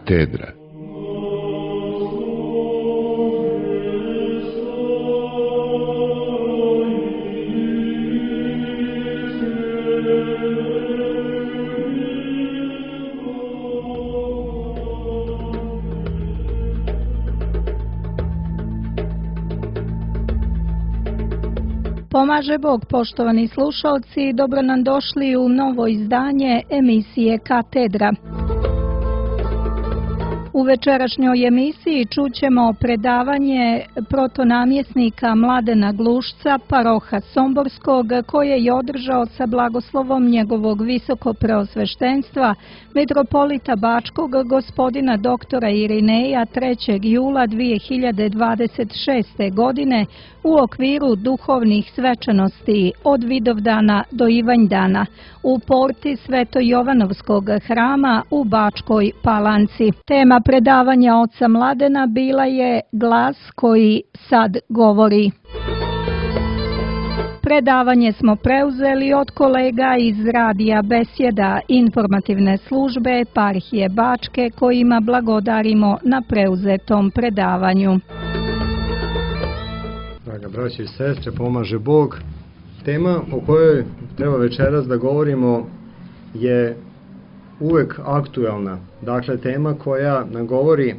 Katedra. Pomaže Bog, poštovani slušalci, dobro nam došli u novo izdanje emisije Katedra. U večerašnjoj emisiji čućemo predavanje protonamjesnika Mladena Glušca, paroha Somborskog, koje je održao sa blagoslovom njegovog visokopreosveštenstva, metropolita Bačkog, gospodina doktora Irineja 3. jula 2026. godine u okviru duhovnih svečanosti od Vidovdana do Ivanjdana u porti Sveto-Jovanovskog hrama u Bačkoj Palanci. Tema predavanja oca Mladena bila je Glas koji sad govori. Predavanje smo preuzeli od kolega iz Radija Besjeda, informativne službe Eparhije Bačke, kojima blagodarimo na preuzetom predavanju. Draga braći i sestre, pomaže Bog. Tema o kojoj treba večeras da govorimo je uvek aktuelna. Dakle, tema koja nam govori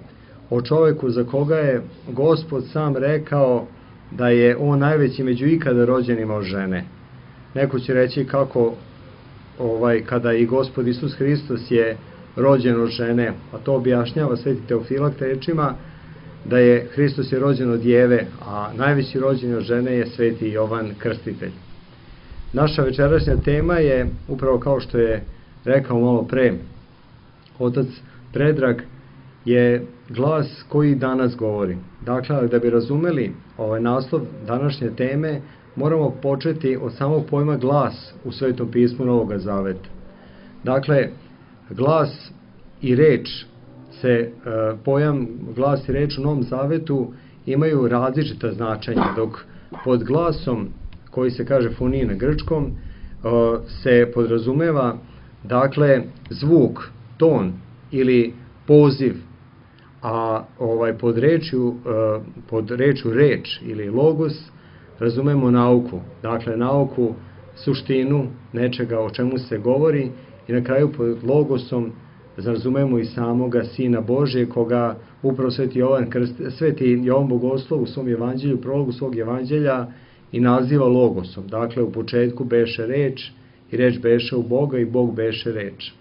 o čoveku za koga je Gospod sam rekao da je on najveći među ikada rođenima od žene. Neko će reći kako kada i Gospod Isus Hristos je rođen od žene, a to objašnjava Sveti Teofilakt rečima da je Hristos je rođen od Jeve, a najveći rođen od žene je Sveti Jovan Krstitelj. Naša večerašnja tema je, upravo kao što je rekao malo pre otac Predrag, je glas koji danas govori. Dakle, da bi razumeli ovaj naslov današnje teme, moramo početi od samog pojma glas u Svetom pismu Novog Zaveta. Dakle, glas i reč pojam glas i reč u Novom Zavetu imaju različita značenja, dok pod glasom, koji se kaže fonije na grčkom, se podrazumeva dakle zvuk, ton ili poziv, a pod rečju reč ili logos razumemo nauku, dakle nauku, suštinu nečega o čemu se govori, i na kraju pod logosom razumemo i samoga Sina Božje, koga upravo Sveti Jovan Bogoslov u svom evanđelju, prologu svog evanđelja, i naziva logosom. Dakle, u početku beše reč, i reč beše u Boga, i Bog beše reč.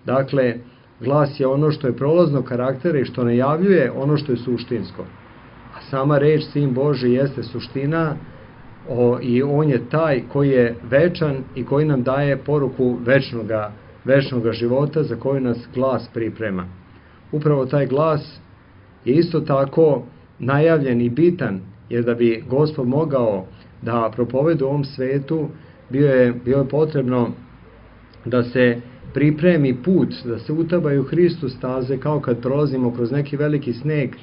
Dakle, glas je ono što je prolaznog karaktera i što najavljuje ono što je suštinsko. A sama reč, Sin Božji, jeste suština i on je taj koji je večan i koji nam daje poruku večnoga života za koju nas glas priprema. Upravo taj glas je isto tako najavljen i bitan, jer da bi Gospod mogao da propovede u ovom svetu, bilo je potrebno da se pripremi put, da se utabaju Hristu staze, kao kad prolazimo kroz neki veliki sneg.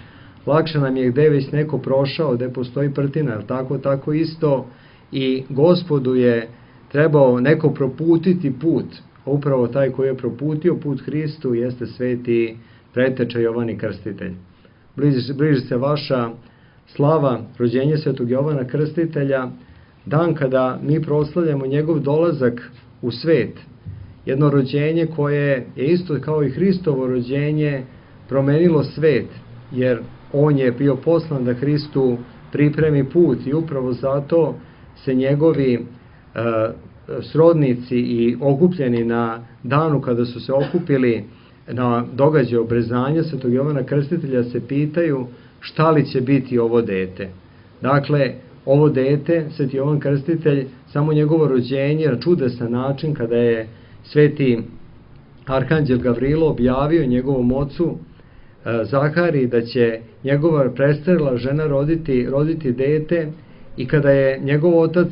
Lakše nam je gde već neko prošao, gde postoji prtina, ali tako isto i Gospodu je trebao neko proputiti put. Upravo taj koji je proputio put Hristu jeste sveti preteča Jovan Krstitelj. Bliži se vaša slava, rođenje svetog Jovana Krstitelja, dan kada mi proslavljamo njegov dolazak u svet. Jedno rođenje koje je isto kao i Hristovo rođenje promenilo svet, jer on je bio poslan da Hristu pripremi put, i upravo zato se njegovi srodnici i okupljeni na danu kada su se okupili na događaju obrezanja svetog Jovana Krstitelja se pitaju šta li će biti ovo dete. Dakle, ovo dete, sveti Jovan Krstitelj, samo njegovo rođenje na čudesan način, kada je sveti arhanđel Gavrilo objavio njegovom ocu Zahariji da će njegova prestarela žena roditi dete, i kada je njegov otac,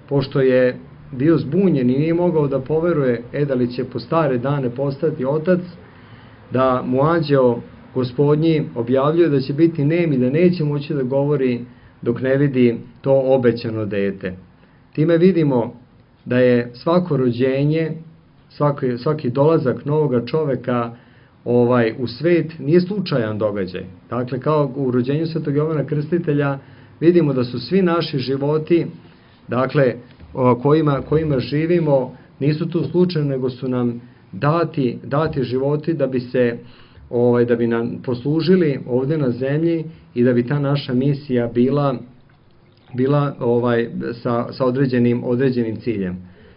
pošto je bio zbunjen i nije mogao da poveruje da li će po stare dane postati otac, da mu anđeo Gospodnji objavljuje da će biti nem i da neće moći da govori dok ne vidi to obećano dete. Time vidimo da je svako rođenje, svaki dolazak novoga čoveka u svet nije slučajan događaj. Dakle, kao u rođenju Svetog Jovana Krstitelja vidimo da su svi naši životi, dakle, kojima živimo, nisu tu slučajno, nego su nam dati životi da bi se da bi nam poslužili ovde na zemlji i da bi ta naša misija bila sa određenim ciljem.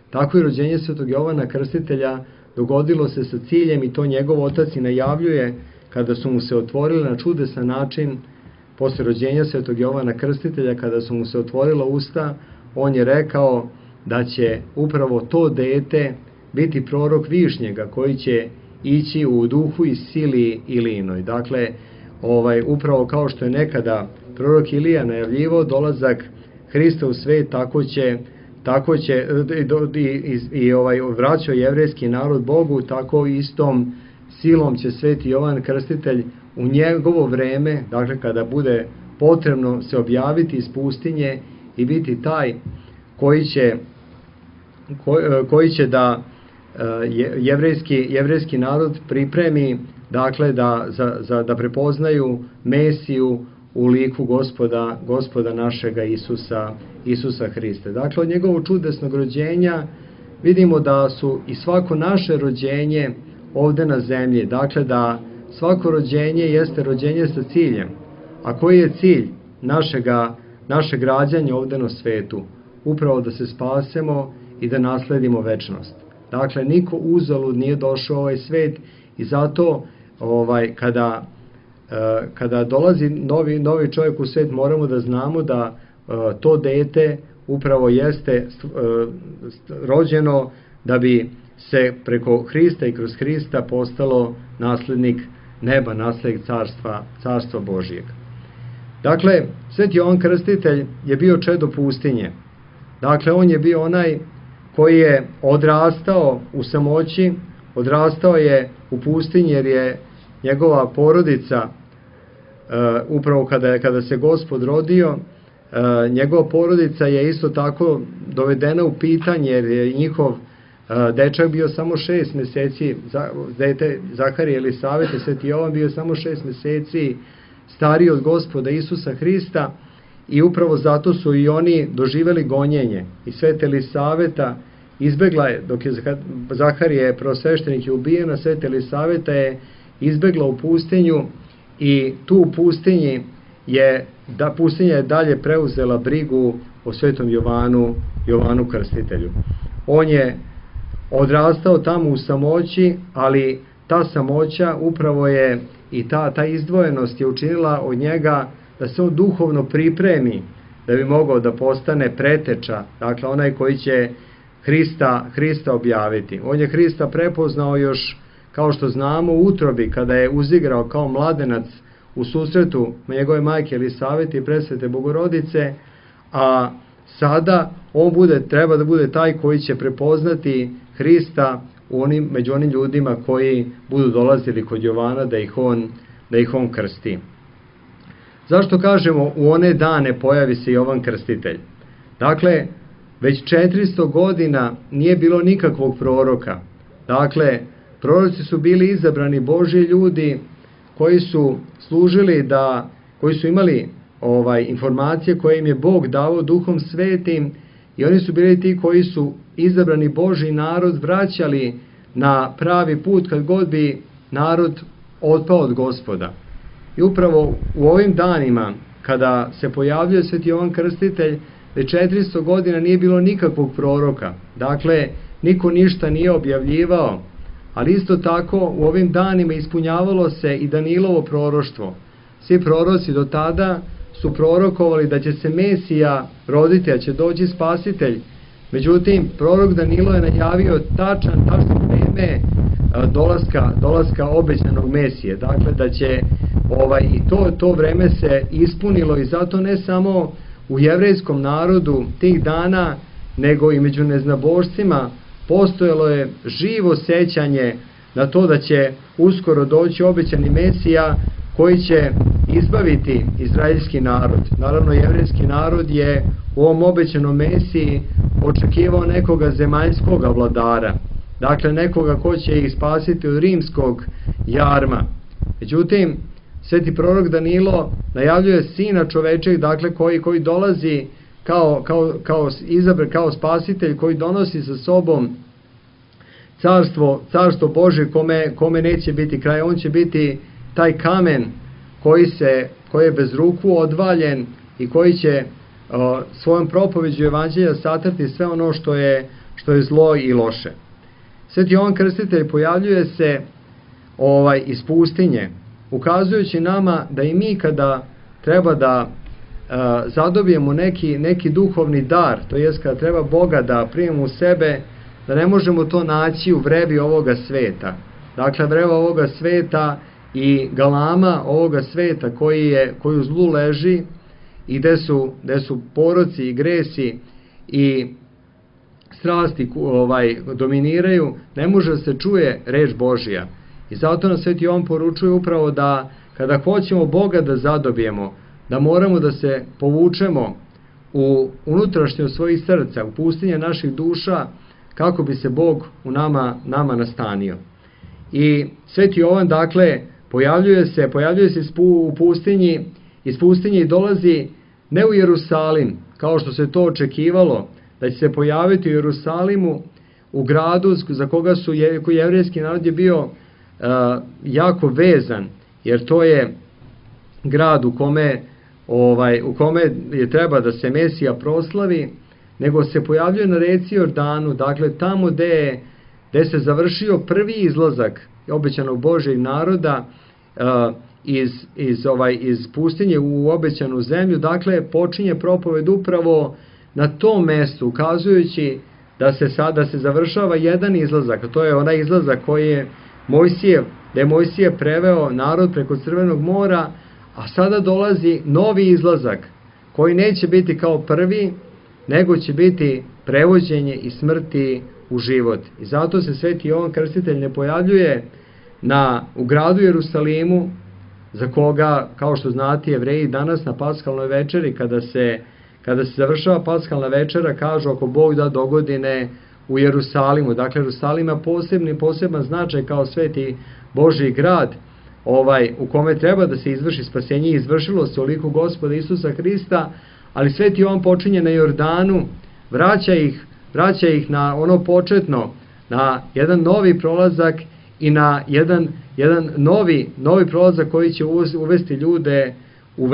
Tako i rođenje Svetog Jovana Krstitelja dogodilo se sa ciljem, i to njegov otac i najavljuje kada su mu se otvorili na čudesan način posle rođenja Svetog Jovana Krstitelja, kada su mu se otvorila usta, on je rekao da će upravo to dete biti prorok Višnjega koji će ići u duhu i sili Ilijinoj. Dakle, upravo kao što je nekada prorok Ilija najavljivao dolazak Hrista u svet, tako će i vraćao jevrejski narod Bogu, tako istom silom će Sveti Jovan Krstitelj u njegovo vreme, dakle kada bude potrebno se objaviti iz pustinje i biti taj koji će da jevrejski narod pripremi, dakle da prepoznaju Mesiju u liku gospoda našega Isusa Hrista. Dakle, od njegovog čudesnog rođenja vidimo da su i svako naše rođenje ovde na zemlji, dakle da svako rođenje jeste rođenje sa ciljem. A koji je cilj našeg rađanja ovde na svetu? Upravo da se spasemo i da nasledimo večnost. Dakle, niko uzalud nije došao u ovaj svet i zato kada dolazi novi čovjek u svet, moramo da znamo da to dete upravo jeste rođeno da bi se preko Hrista i kroz Hrista postalo naslednik neba, naslednik carstva Božijeg. Dakle, Sveti Jovan Krstitelj je bio čedo pustinje. Dakle, on je bio onaj koji je odrastao u samoći, odrastao je u pustinji jer je njegova porodica, upravo kada se Gospod rodio, njegova porodica je isto tako dovedena u pitanje jer je njihov dečak bio samo 6 meseci, dete Zaharije Elisavete, Sveti Jovan bio samo 6 meseci stariji od Gospoda Isusa Hrista i upravo zato su i oni doživeli gonjenje. I Sveta Elisaveta izbegla je, dok je Zaharije prvosveštenik je ubijena, Sveta Elisaveta je izbegla u pustinju i tu u pustinji pustinja je dalje preuzela brigu o Svetom Jovanu Krstitelju. On je odrastao tamo u samoći, ali ta samoća upravo je i ta izdvojenost je učinila od njega da se on duhovno pripremi da bi mogao da postane preteča, dakle onaj koji će Hrista objaviti. On je Hrista prepoznao još, kao što znamo, u utrobi, kada je uzigrao kao mladenac u susretu njegove majke Elisavete i presvete Bogorodice, a sada on treba da bude taj koji će prepoznati Hrista među onim ljudima koji budu dolazili kod Jovana da ih on krsti. Zašto kažemo u one dane pojavi se Jovan Krstitelj? Dakle, već 400 godina nije bilo nikakvog proroka. Dakle, proroci su bili izabrani Božji ljudi koji su služili koji su imali informacije koje im je Bog dao Duhom Svetim i oni su bili ti koji su izabrani Božji narod vraćali na pravi put kad god bi narod otpao od Gospoda. I upravo u ovim danima kada se pojavljuje Sveti Jovan Krstitelj, već 400 godina nije bilo nikakvog proroka. Dakle, niko ništa nije objavljivao, ali isto tako u ovim danima ispunjavalo se i Danilovo proroštvo. Svi proroci do tada su prorokovali da će se Mesija roditi, a će doći Spasitelj. Međutim, prorok Danilo je najavio tačno vreme dolaska obećanog Mesije. Dakle, da će i to vreme se ispunilo i zato ne samo u jevrejskom narodu tih dana, nego i među neznabošcima postojalo je živo sećanje na to da će uskoro doći obećani Mesija koji će izbaviti izraelski narod. Naravno, jevrejski narod je u ovom obećanom Mesiji očekivao nekoga zemaljskog vladara. dakle nekoga ko će ih spasiti od rimskog jarma. Međutim, sveti prorok Danilo najavljuje sina čovečeg, dakle koji dolazi kao spasitelj, koji donosi sa sobom carstvo Božje kome neće biti kraj. On će biti taj kamen koji je bez ruku odvaljen i koji će svojom propoveđu evanđelja satrti sve ono što je zlo i loše. Sveti Jovan Krstitelj pojavljuje se iz pustinje, ukazujući nama da i mi kada treba da zadobijemo neki duhovni dar, to jest kada treba Boga da primimo u sebe, da ne možemo to naći u vrevi ovoga sveta. Dakle, vreva ovoga sveta i galama ovoga sveta koji u zlu leži i gde su poroci i gresi i strasti dominiraju, ne može da se čuje reč Božja. I zato nam Sveti Jovan poručuje upravo da kada hoćemo Boga da zadobijemo, da moramo da se povučemo u unutrašnjost svojih srca, u pustinje naših duša, kako bi se Bog u nama nastanio. I Sveti Jovan, dakle, pojavljuje se u pustinji, iz pustinje i dolazi ne u Jerusalim, kao što se to očekivalo, da će se pojaviti u Jerusalimu, u gradu za koji jevrejski narod je bio jako vezan, jer to je grad u kome je treba da se Mesija proslavi, nego se pojavljuje na reci Jordanu, dakle tamo gde se završio prvi izlazak obećanog Božjeg naroda iz pustinje u obećanu zemlju. Dakle, počinje propoved upravo na tom mestu, ukazujući da se završava jedan izlazak, a to je onaj izlazak koji je Mojsije preveo narod preko Crvenog mora, a sada dolazi novi izlazak koji neće biti kao prvi, nego će biti prevođenje i smrti u život. I zato se Sveti Jovan Krstitelj ne pojavljuje u gradu Jerusalimu, za koga, kao što znate, Jevreji danas na paskalnoj večeri, kada se završava paskalna večera, kažu ako Bog da dogodine u Jerusalimu. Dakle, Jerusalim ima poseban značaj kao sveti Božji grad, u kome treba da se izvrši spasenje. Izvršilo se u liku Gospoda Isusa Hrista, ali Sveti Jovan počinje na Jordanu, vraća ih na ono početno, na jedan novi prolazak i na jedan novi prolazak koji će uvesti ljude u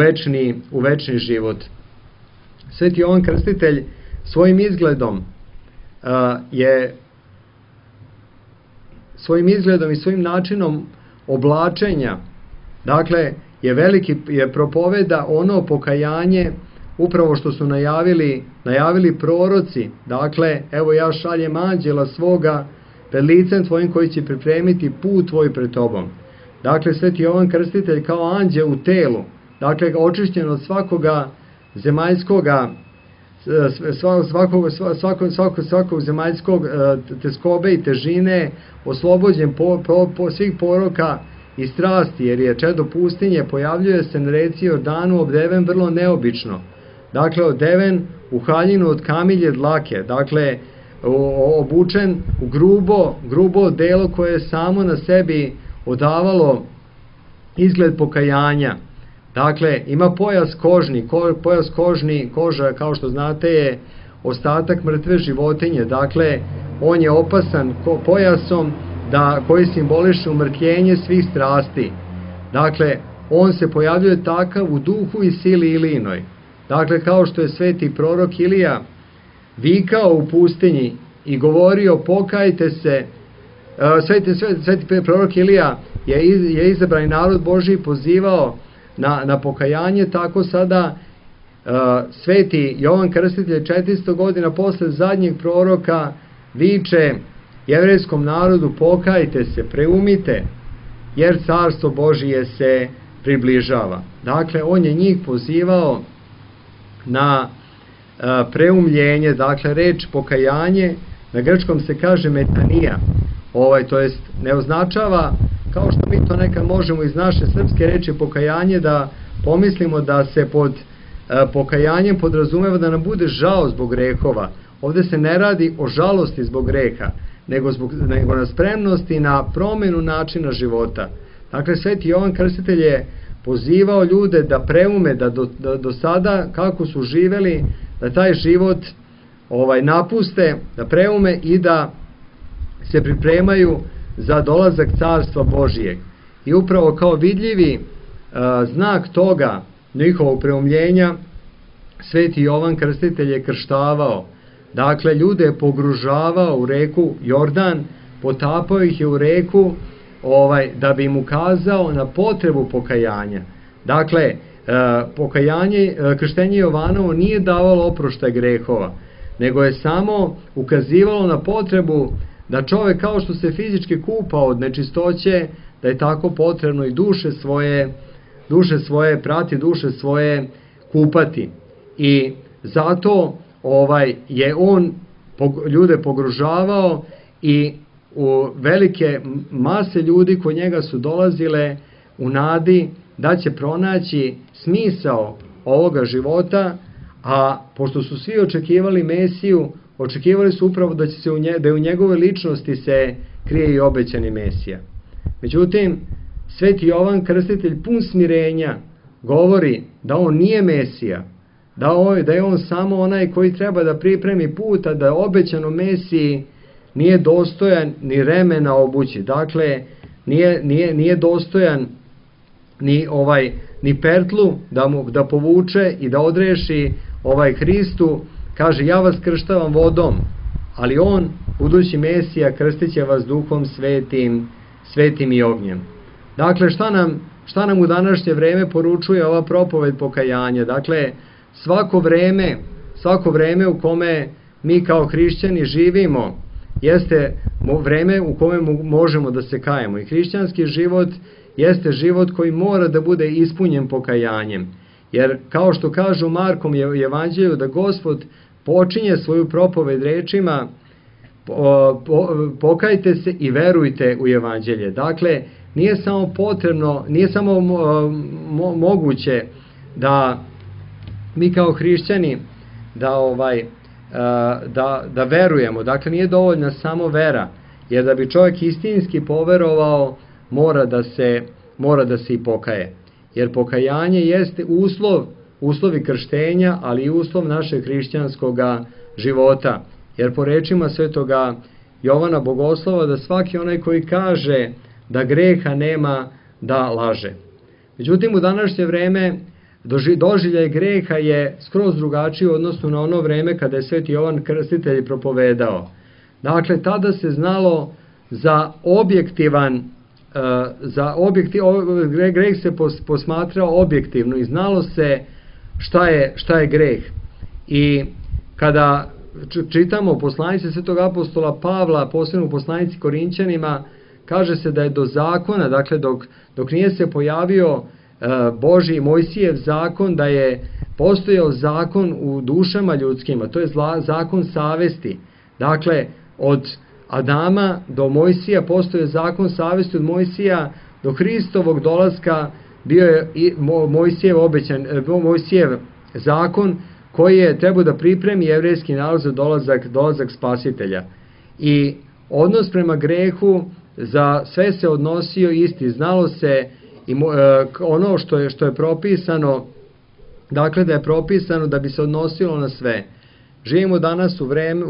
večni život. Sveti Jovan Krstitelj svojim izgledom i svojim načinom oblačenja, dakle, je propoveda ono pokajanje upravo što su najavili proroci. Dakle, evo ja šaljem anđela svoga pred licem tvojim koji će pripremiti put tvoj pred tobom. Dakle, Sveti Jovan Krstitelj kao anđeo u telu, dakle, očišćen od svakoga zemaljskoga, svakog zemaljskog teskobe i težine, oslobođen svih poroka i strasti, jer je čedo pustinje, pojavljuje se na reci Jordanu obdeven vrlo neobično. Dakle, odeven u haljinu od kamilje dlake, dakle, obučen u grubo odelo koje je samo na sebi odavalo izgled pokajanja. Dakle, ima pojas kožni, koža, kao što znate, je ostatak mrtve životinje. Dakle, on je opasan pojasom koji simboliše umrtljenje svih strasti. Dakle, on se pojavljuje takav u duhu i sili Ilijinoj. Dakle, kao što je sveti prorok Ilija vikao u pustinji i govorio pokajte se, sveti prorok Ilija je izabrani narod Božji pozivao na pokajanje, tako sada sveti Jovan Krstitelj 400 godina posle zadnjeg proroka viče jevrejskom narodu pokajte se, preumite, jer carstvo Božije se približava. Dakle, on je njih pozivao na preumljenje, dakle, reč pokajanje, na grčkom se kaže metanija, to jest ne označava, kao što mi to nekad možemo iz naše srpske reči pokajanje da pomislimo da se pod pokajanjem podrazumeva da nam bude žao zbog grehova. Ovde se ne radi o žalosti zbog greha, nego na spremnosti na promenu načina života. Dakle, Sveti Jovan Krstitelj je pozivao ljude da preume, da do sada kako su živeli, da taj život napuste, da preume i da se pripremaju za dolazak Carstva Božijeg. I upravo kao vidljivi znak toga njihovog preumljenja, Sveti Jovan Krstitelj je krštavao. Dakle, ljude je pogružavao u reku Jordan, potapao ih je u reku da bi im ukazao na potrebu pokajanja. Dakle, krštenje Jovanovo nije davalo oproštaj grehova, nego je samo ukazivalo na potrebu da čovek, kao što se fizički kupa od nečistoće, da je tako potrebno i duše svoje prati, duše svoje kupati. I zato je on ljude pogružavao i u velike mase ljudi kod njega su dolazile u nadi da će pronaći smisao ovoga života, a pošto su svi očekivali Mesiju, očekivali su upravo da u njegove ličnosti se krije i obećani Mesija. Međutim, Sveti Jovan Krstitelj pun smirenja govori da on nije Mesija, da je on samo onaj koji treba da pripremi put, a da obećano Mesiji nije dostojan ni remena obući. Dakle, nije dostojan ni pertlu da povuče i da odreši Hristu. Kaže, ja vas krštavam vodom, ali on, budući Mesija, krstit će vas Duhom svetim i ognjem. Dakle, šta nam u današnje vreme poručuje ova propoved pokajanja? Dakle, svako vreme u kome mi kao hrišćani živimo jeste vreme u kome možemo da se kajemo. I hrišćanski život jeste život koji mora da bude ispunjen pokajanjem. Jer, kao što kažu Markom evanđelju, da Gospod počinje svoju propoved rečima pokajte se i verujte u evanđelje. Dakle, nije samo potrebno, nije samo moguće da mi kao hrišćani da verujemo. Dakle, nije dovoljna samo vera, jer da bi čovjek istinski poverovao, mora da se i pokaje. Jer pokajanje jeste uslovi krštenja, ali i uslov našeg hrišćanskog života. Jer po rečima svetoga Jovana Bogoslova, da svaki onaj koji kaže da greha nema, da laže. Međutim, u današnje vreme doživljaj greha je skroz drugačiji u odnosu na ono vreme kada je Sveti Jovan Krstitelj propovedao. Dakle, tada se znalo za greh se posmatrao objektivno i znalo se šta je greh. I kada čitamo poslanice Svetog apostola Pavla, posebno u poslanici Korinćanima, kaže se da je do zakona, dakle dok nije se pojavio Božji Mojsijev zakon, da je postojao zakon u dušama ljudskima, to je zakon savesti. Dakle, od Adama do Mojsija postoje zakon savesti, od Mojsija do Hristovog dolaska bio je i Mojsijev zakon koji je trebao da pripremi jevrejski narod za dolazak Spasitelja. I odnos prema grehu za sve se odnosio isti, znalo se ono što je propisano, dakle da je propisano da bi se odnosilo na sve. Živimo danas u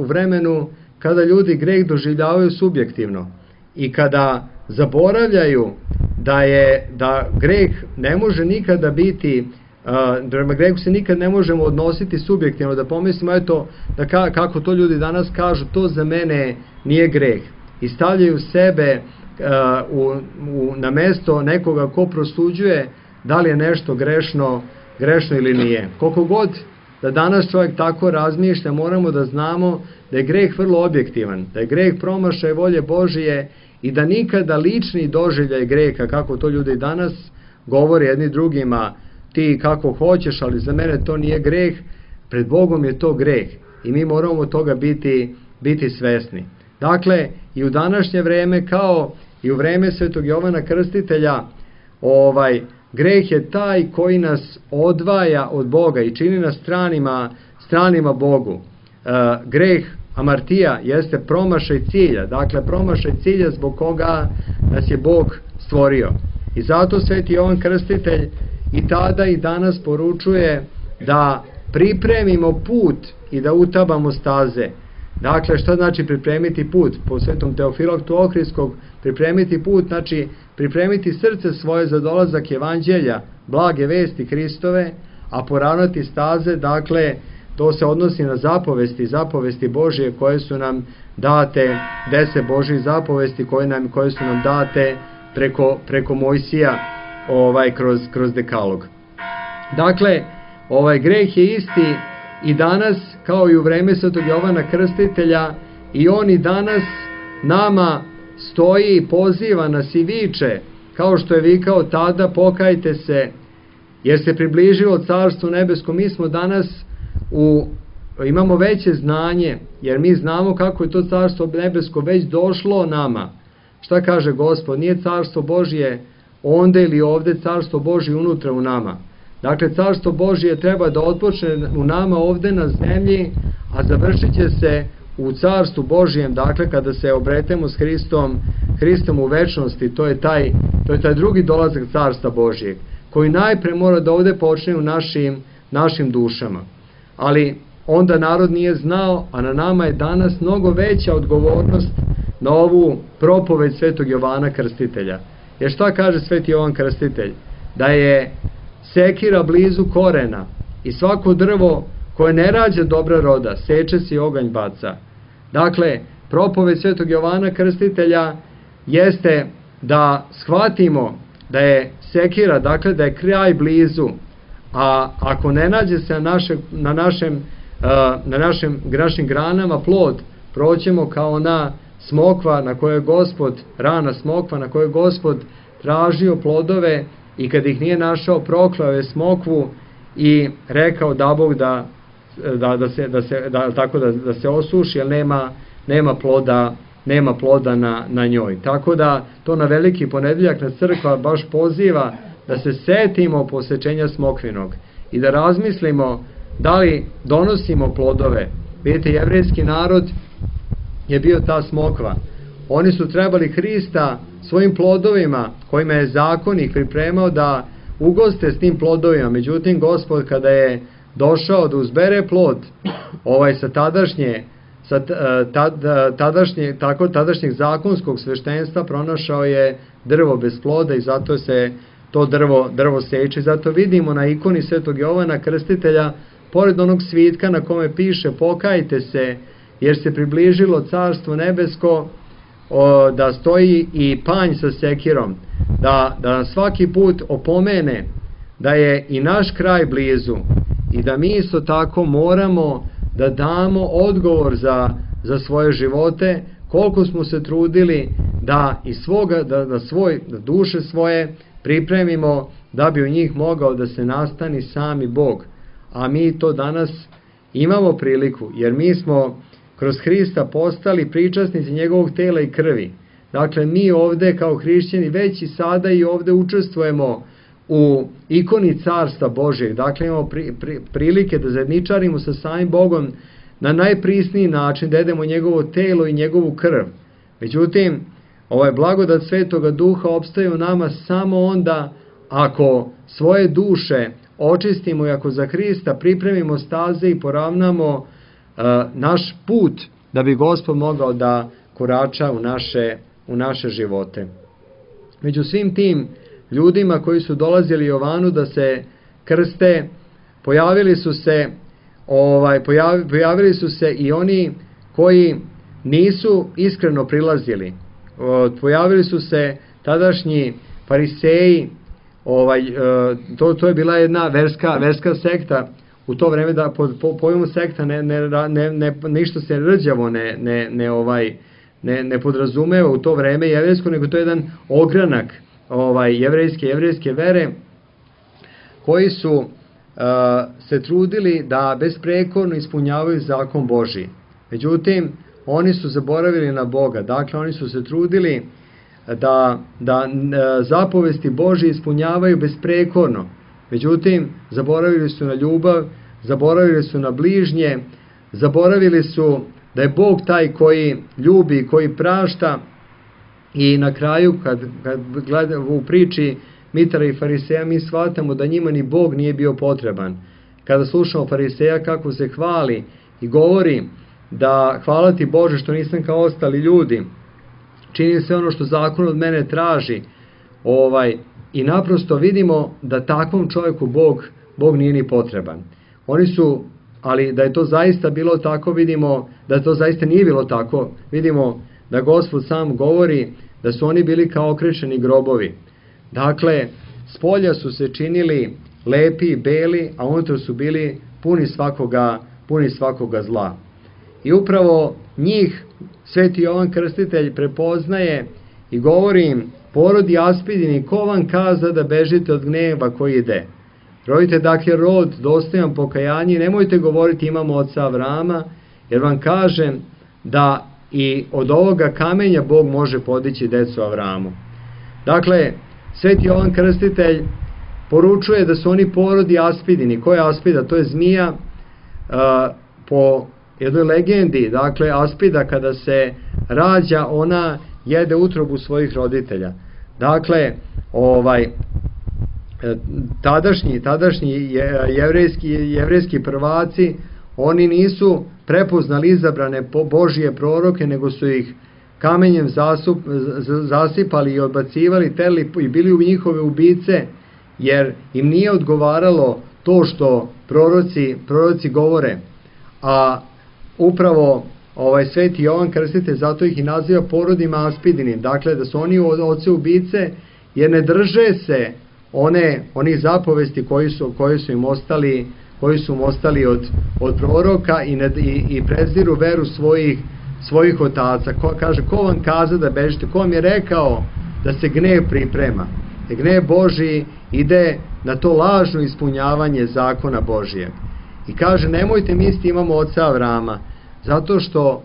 vremenu kada ljudi greh doživljavaju subjektivno i kada zaboravljaju da greh ne može nikada biti, prema grehu se nikad ne možemo odnositi subjektivno, da pomislimo eto, kako to ljudi danas kažu, to za mene nije greh. I stavljaju sebe na mesto nekoga ko prosuđuje da li je nešto grešno ili nije. Koliko god da danas čovjek tako razmišlja, moramo da znamo da je greh vrlo objektivan, da je greh promašaj volje Božije i da nikada lični doživljaj greha, kako to ljudi danas govore jedni drugima, ti kako hoćeš, ali za mene to nije greh, pred Bogom je to greh i mi moramo toga biti svesni. Dakle, i u današnje vreme, kao i u vreme Svetog Jovana Krstitelja, greh je taj koji nas odvaja od Boga i čini nas stranima Bogu. Greh hamartija jeste promašaj cilja, dakle promašaj cilja zbog koga nas je Bog stvorio. I zato Sveti Jovan Krstitelj i tada i danas poručuje da pripremimo put i da utabamo staze. Dakle, šta znači pripremiti put? Po Svetom Teofilaktu Ohridskog, pripremiti put znači pripremiti srce svoje za dolazak evanđelja, blage vesti Hristove, a poravnati staze, dakle, to se odnosi na zapovesti Božije koje su nam date, 10 Božjih zapovesti koje su nam date preko Mojsija kroz dekalog. Dakle, greh je isti i danas kao i u vreme Svetog Jovana Krstitelja, i on i danas nama stoji i poziva nas i viče, kao što je vikao tada, pokajte se, jer se približilo Carstvo nebesko. Mi smo danas imamo veće znanje, jer mi znamo kako je to Carstvo nebesko već došlo nama. Šta kaže Gospod? Nije Carstvo Božje onda ili ovde, Carstvo Božje unutra u nama. Dakle, Carstvo Božje treba da otpočne u nama ovde na zemlji, a završit će se u Carstvu Božjem, dakle, kada se obretemo s Hristom u večnosti. To je taj drugi dolazak Carstva Božjeg, koji najpre mora da ovde počne u našim dušama. Ali onda narod nije znao, a na nama je danas mnogo veća odgovornost na ovu propoved Svetog Jovana Krstitelja. Jer šta kaže Sveti Jovan Krstitelj? Da je sekira blizu korena i svako drvo koje ne rađa dobra roda, seče se i oganj baca. Dakle, propoved Svetog Jovana Krstitelja jeste da shvatimo da je sekira, dakle da je kraj blizu, a ako ne nađe se na našim granama plod, proćemo kao ona smokva na kojoj je Gospod, rana smokva na kojoj je Gospod tražio plodove, i kad ih nije našao, proklao je smokvu i rekao da Bog da se osuši, jer nema ploda na njoj. Tako da to na Veliki ponedeljak na crkva baš poziva da se setimo posečenja smokvinog i da razmislimo da li donosimo plodove. Vidite, jevrejski narod je bio ta smokva. Oni su trebali Hrista svojim plodovima, kojima je zakonik pripremao, da ugoste s tim plodovima. Međutim, Gospod kada je došao da uzbere plod tadašnjeg zakonskog sveštenstva, pronašao je drvo bez ploda i zato se to drvo seče. Zato vidimo na ikoni Svetog Jovana Krstitelja, pored onog svitka na kome piše pokajte se, jer se približilo Carstvo nebesko, da stoji i panj sa sekirom, da svaki put opomene da je i naš kraj blizu i da mi isto tako moramo da damo odgovor za svoje živote, koliko smo se trudili da duše svoje pripremimo da bi u njih mogao da se nastani sami Bog. A mi to danas imamo priliku, jer mi smo kroz Hrista postali pričasnici njegovog tela i krvi. Dakle, mi ovde kao hrišćani već i sada i ovde učestvujemo u ikoni Carstva Božjeg. Dakle, imamo prilike da zajedničarimo sa samim Bogom na najprisniji način, da jedemo njegovo telo i njegovu krv. Međutim, ovaj blagodat Svetoga Duha opstaje u nama samo onda ako svoje duše očistimo i ako za Hrista pripremimo staze i poravnamo naš put, da bi Gospod mogao da korača u naše živote. Među svim tim ljudima koji su dolazili Jovanu da se krste, pojavili su se i oni koji nisu iskreno prilazili. Pojavili su se tadašnji fariseji, to je bila jedna verska sekta. U to vreme, da po pojmu sekta ništa se rđavo ne podrazumeva u to vreme jevrejsko, nego to je jedan ogranak jevrejske vere, koji su se trudili da besprekorno ispunjavaju zakon Božji. Međutim, oni su zaboravili na Boga. Dakle, oni su se trudili da zapovesti Božje ispunjavaju besprekorno. Međutim, zaboravili su na ljubav, zaboravili su na bližnje, zaboravili su da je Bog taj koji ljubi, koji prašta. I na kraju, kad gledamo u priči Mitara i Fariseja, mi shvatamo da njima ni Bog nije bio potreban. Kada slušamo Fariseja kako se hvali i govori da hvala ti Bože što nisam kao ostali ljudi, čini se ono što zakon od mene traži, i naprosto vidimo da takvom čovjeku Bog nije ni potreban. Ali da je to zaista bilo tako, vidimo da to zaista nije bilo tako. Vidimo da Gospod sam govori da su oni bili kao okrečeni grobovi. Dakle, spolja su se činili lepi i beli, a unutra su bili puni svakoga zla. I upravo njih Sveti Jovan Krstitelj prepoznaje i govori im: porodi Aspidini, ko vam kaza da bežite od gneva koji ide? Rodite dakle rod dostojan pokajanja i nemojte govoriti imamo oca Avrama, jer vam kažem da i od ovoga kamenja Bog može podići decu Avramu. Dakle, Sveti Jovan Krstitelj poručuje da su oni porodi Aspidini. Ko je Aspida? To je zmija. Po jednoj legendi, dakle, Aspida kada se rađa, ona jede utrobu svojih roditelja. Dakle, tadašnji jevrejski prvaci, oni nisu prepoznali izabrane Božije proroke, nego su ih kamenjem zasipali i odbacivali, i bili u njihove ubice, jer im nije odgovaralo to što proroci govore. A upravo Sveti Jovan Krstitelj zato ih i naziva porodima Aspidinim, dakle da su oni oce ubice, jer ne drže se onih zapovesti koji su im ostali od proroka i preziru veru svojih otaca. Kaže, ko vam kaza da bežite? Ko vam je rekao da se gnev priprema? Gnev Božiji ide na to lažno ispunjavanje zakona Božijeg. I kaže, nemojte misliti imamo oca Avrama, zato što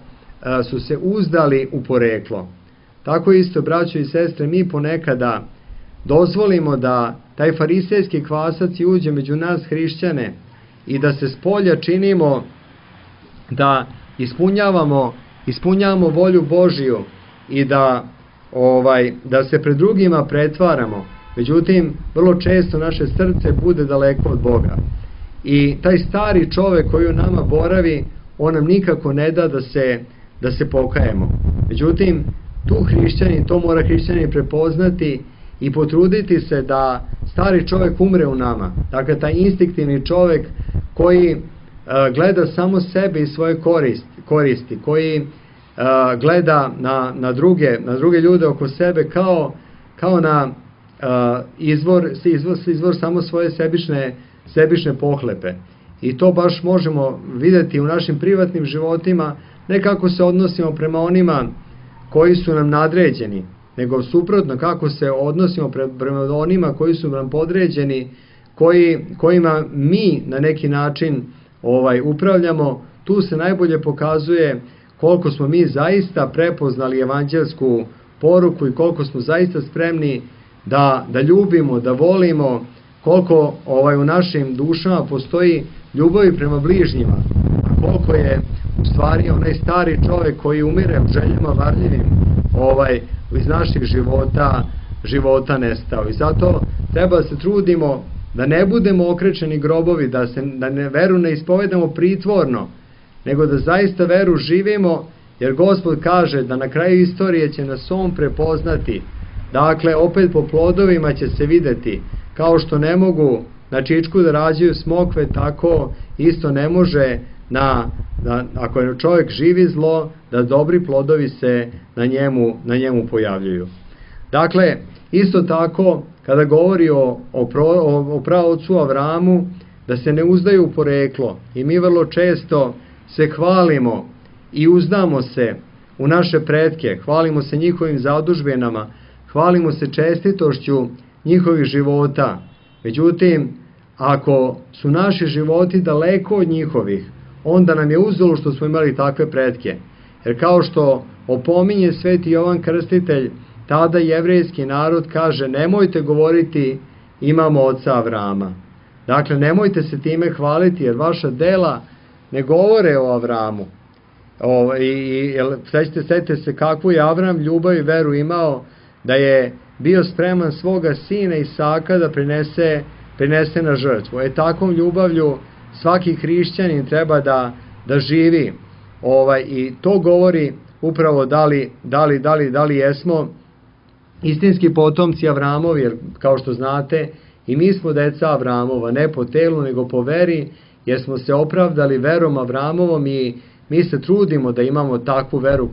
su se uzdali u poreklo. Tako isto, braćo i sestre, mi ponekada dozvolimo da taj farisejski kvasac uđe među nas hrišćane i da se spolja činimo da ispunjavamo volju Božiju i da se pred drugima pretvaramo. Međutim, vrlo često naše srce bude daleko od Boga. I taj stari čovek koji u nama boravi, on nam nikako ne da da se pokajemo. Međutim, to mora hrišćanin prepoznati i potruditi se da stari čovek umre u nama. Dakle, taj instinktivni čovek koji gleda samo sebe i svoje koristi, koji gleda na druge ljude oko sebe kao na izvor samo svoje sebične pohlepe. I to baš možemo vidjeti u našim privatnim životima, ne kako se odnosimo prema onima koji su nam nadređeni, nego suprotno kako se odnosimo prema onima koji su nam podređeni, kojima mi na neki način upravljamo. Tu se najbolje pokazuje koliko smo mi zaista prepoznali evanđelsku poruku i koliko smo zaista spremni da ljubimo, da volimo, koliko u našim dušama postoji ljubavi prema bližnjima, a koliko je u stvari onaj stari čovek koji umire u željama varljivim iz naših života nestao. I zato treba da se trudimo da ne budemo okrečeni grobovi, da veru ne ispovedamo pritvorno, nego da zaista veru živimo, jer Gospod kaže da na kraju istorije će nas on prepoznati. Dakle, opet po plodovima će se videti. Kao što ne mogu na čičku da rađaju smokve, tako isto ne može ako je čovjek živi zlo, da dobri plodovi se na njemu pojavljuju. Dakle, isto tako, kada govori o praocu Avramu, da se ne uzdaju u poreklo. I mi vrlo često se hvalimo i uzdamo se u naše pretke, hvalimo se njihovim zadužbinama, hvalimo se čestitošću njihovih života. Međutim, ako su naši životi daleko od njihovih, onda nam je uzelo što smo imali takve pretke. Jer kao što opominje Sveti Jovan Krstitelj, tada jevrejski narod kaže, nemojte govoriti imamo oca Avrama. Dakle, nemojte se time hvaliti, jer vaša dela ne govore o Avramu. Sjetite se kakvu je Avram ljubav i veru imao, da je bio spreman svoga sina Isaka da prinese na žrtvu. Takvom ljubavlju svaki hrišćanin treba da živi. I to govori upravo da li jesmo istinski potomci Avramovi, jer kao što znate i mi smo deca Avramova, ne po telu nego po veri, jer smo se opravdali verom Avramovom i mi se trudimo da imamo takvu veru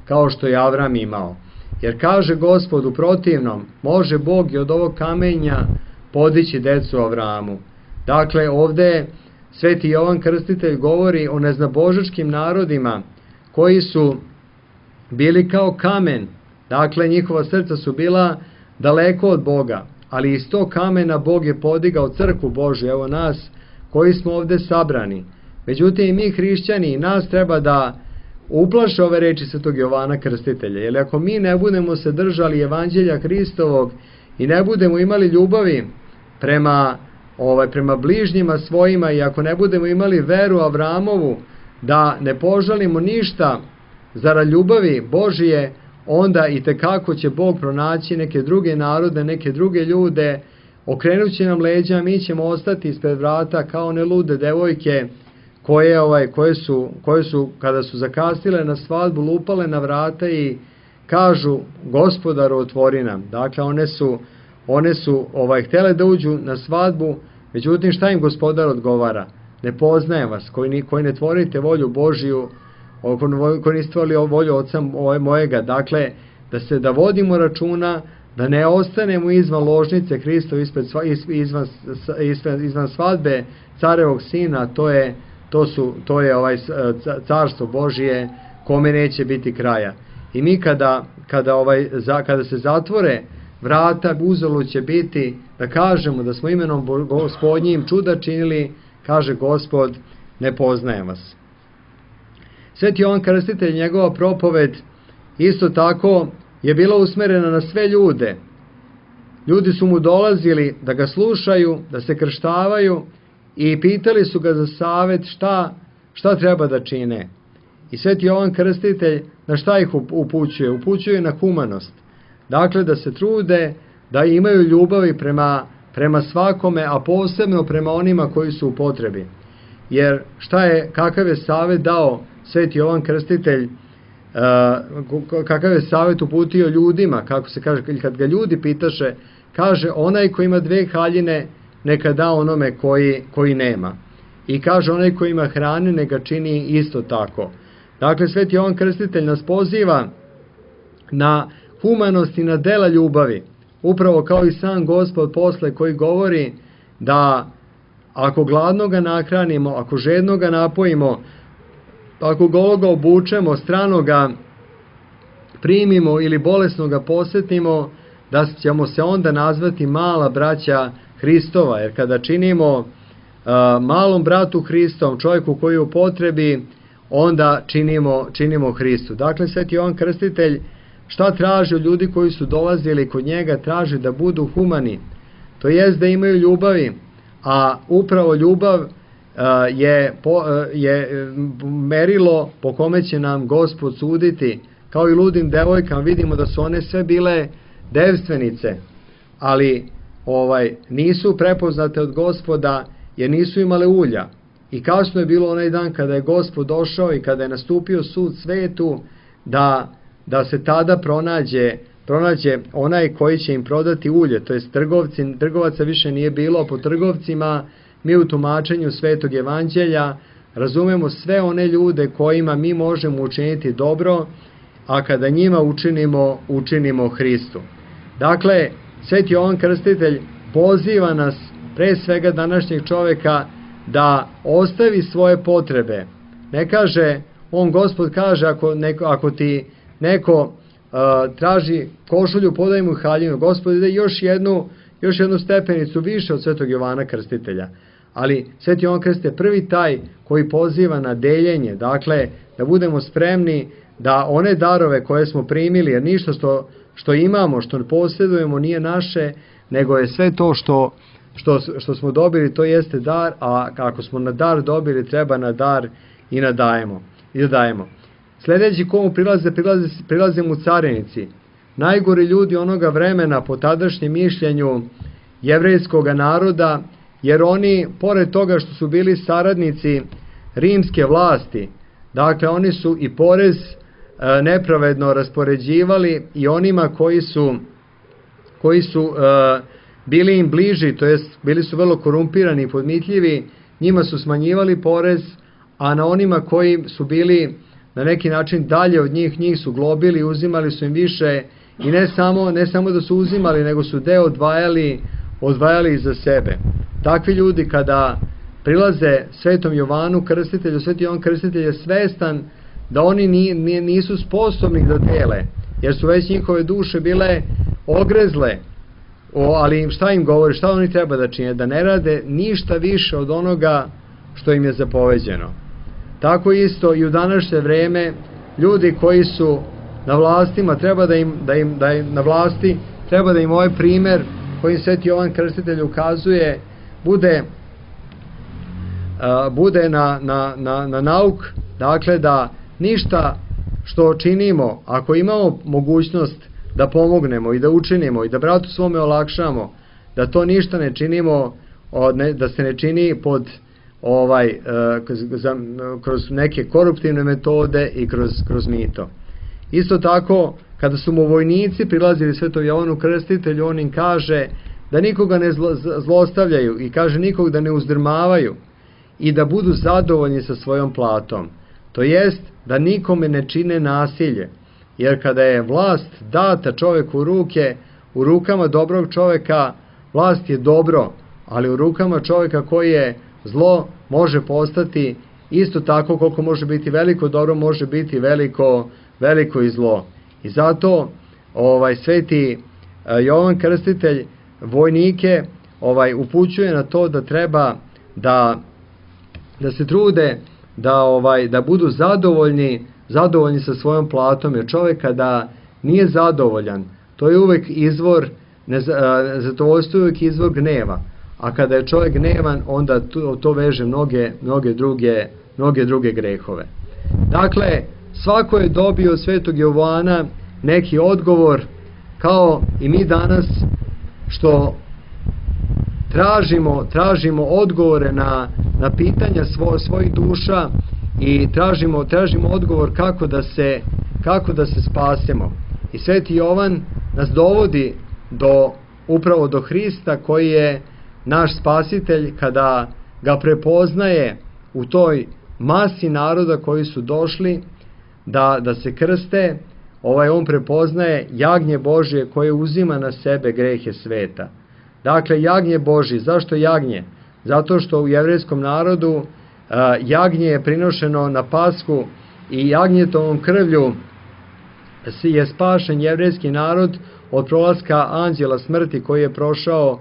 kao što je Avram imao. Jer kaže Gospod, u protivnom može Bog i od ovog kamenja podići decu Avramu. Dakle, ovde Sveti Jovan Krstitelj govori o neznabožačkim narodima koji su bili kao kamen. Dakle, njihova srca su bila daleko od Boga, ali iz tog kamena Bog je podigao crkvu Božju, evo nas koji smo ovde sabrani. Međutim, i mi hrišćani, i nas treba da uplaše ove reči Svetog Jovana Krstitelja, jer ako mi ne budemo se držali evanđelja Hristovog i ne budemo imali ljubavi prema bližnjima svojima, i ako ne budemo imali veru Avramovu, da ne požalimo ništa zarad ljubavi Božije, onda i tekako će Bog pronaći neke druge narode, neke druge ljude, okrenut će nam leđa, mi ćemo ostati ispred vrata kao one lude devojke koje su kada su zakasnile na svadbu lupale na vrata i kažu: Gospodaru, otvori nam. Dakle, one su htjele da uđu na svadbu, međutim šta im Gospodar odgovara? Ne poznajem vas, koji ne tvorite volju Božiju, koji niste stvorili volju Oca mojega. Dakle, da vodimo računa, da ne ostanemo izvan ložnice Hristove, izvan svadbe carevog sina, to je carstvo Božije kome neće biti kraja. I mi kada se zatvore vrata, uzalud će biti da kažemo da smo imenom Gospodnjim čuda činili, kaže Gospod, ne poznajem vas. Sveti Jovan Krstitelj, njegova propoved isto tako je bila usmerena na sve ljude. Ljudi su mu dolazili da ga slušaju, da se krštavaju i pitali su ga za savet šta treba da čine. I Sveti Jovan Krstitelj na šta ih upućuje? Upućuje na humanost. Dakle, da se trude, da imaju ljubavi prema svakome, a posebno prema onima koji su u potrebi. Jer kakav je savet dao Sveti Jovan Krstitelj, kakav je savet uputio ljudima, kako se kaže, kad ga ljudi pitaše, kaže: onaj koji ima 2 haljine, neka da onome koji nema. I kaže: onaj koji ima hrane, neka čini isto tako. Dakle, Sveti Jovan Krstitelj nas poziva na humanost i na dela ljubavi, upravo kao i sam Gospod posle, koji govori da ako gladnoga nahranimo, ako žednoga napojimo, ako gologa obučemo, stranoga primimo ili bolesnoga posetimo, da ćemo se onda nazvati mala braća Hristova. Jer kada činimo malom bratu Hristom, čovjeku koji je u potrebi, onda činimo Hristu. Dakle, Sveti Jovan Krstitelj šta traži od ljudi koji su dolazili kod njega? Traži da budu humani, to jest da imaju ljubavi, a upravo ljubav je merilo po kome će nam Gospod suditi. Kao i ludim devojkama, vidimo da su one sve bile devstvenice, ali nisu prepoznate od Gospoda jer nisu imale ulja. I kasno je bilo onaj dan kada je Gospod došao i kada je nastupio sud svetu, da se tada pronađe onaj koji će im prodati ulje, to jest trgovaca više nije bilo, a po trgovcima mi u tumačenju Svetog Evanđelja razumemo sve one ljude kojima mi možemo učiniti dobro, a kada njima učinimo Hristu. Dakle, Sveti Jovan Krstitelj poziva nas, pre svega današnjeg čoveka, da ostavi svoje potrebe. Ne kaže, Gospod kaže, ako ti neko traži košulju, podaj mu haljinu. Gospod ide još jednu stepenicu više od Svetog Jovana Krstitelja. Ali Sveti Jovan Krstitelj je prvi taj koji poziva na deljenje, dakle, da budemo spremni da one darove koje smo primili, jer ništa što imamo, što posjedujemo nije naše, nego je sve to što smo dobili, to jeste dar, a ako smo na dar dobili, treba na dar i nadajemo. da dajemo. Sljedeći komu prilaze mu carinici, najgori ljudi onoga vremena po tadašnjem mišljenju jevrejskog naroda, jer oni, pored toga što su bili saradnici rimske vlasti, dakle oni su i porez nepravedno raspoređivali i onima koji su bili im bliži, to jest bili su vrlo korumpirani i podmitljivi, njima su smanjivali porez, a na onima koji su bili na neki način dalje od njih su globili, uzimali su im više i ne samo da su uzimali, nego su deo odvajali za sebe. Takvi ljudi kada prilaze Svetom Jovanu Krstitelju, Sveti Jovan Krstitelj je svestan da oni nisu sposobni da dele, jer su već njihove duše bile ogrezle, ali šta im govori, šta oni treba da čine? Da ne rade ništa više od onoga što im je zapoveđeno. Tako isto i u današnje vreme ljudi koji su na vlastima treba da im na vlasti treba da im ovaj primer koji Sveti Jovan Krstitelj ukazuje bude na nauk, dakle da ništa što činimo, ako imamo mogućnost da pomognemo i da učinimo i da bratu svome olakšamo, da to ništa ne činimo, da se ne čini pod kroz neke koruptivne metode i kroz mito. Isto tako, kada su mu vojnici prilazili Svetom Jovanu Krstitelju, on im kaže da nikoga ne zlostavljaju i kaže nikog da ne uzdrmavaju i da budu zadovoljni sa svojom platom. To jest da nikome ne čine nasilje, jer kada je vlast data čoveku u rukama dobrog čoveka, vlast je dobro, ali u rukama čoveka koji je zlo može postati isto tako koliko može biti veliko dobro, može biti veliko i zlo. I zato Sveti Jovan Krstitelj vojnike upućuje na to da treba da se trude da budu zadovoljni sa svojom platom, jer čovjek kada nije zadovoljan, to je uvek izvor zadovoljstvo, je uvek izvor gneva, a kada je čovjek gnevan, onda to veže mnoge druge grehove. Dakle, svako je dobio od Svetog Jovana neki odgovor, kao i mi danas što tražimo odgovore na pitanja svojih duša i tražimo odgovor kako da se spasemo. I Sveti Jovan nas dovodi upravo do Hrista koji je naš spasitelj, kada ga prepoznaje u toj masi naroda koji su došli da se krste. On prepoznaje jagnje Božje koje uzima na sebe grehe sveta. Dakle, jagnje Božje. Zašto jagnje? Zato što u jevrejskom narodu jagnje je prinošeno na Pashu i jagnjetovom krvlju je spašen jevrejski narod od prolaska anđela smrti koji je prošao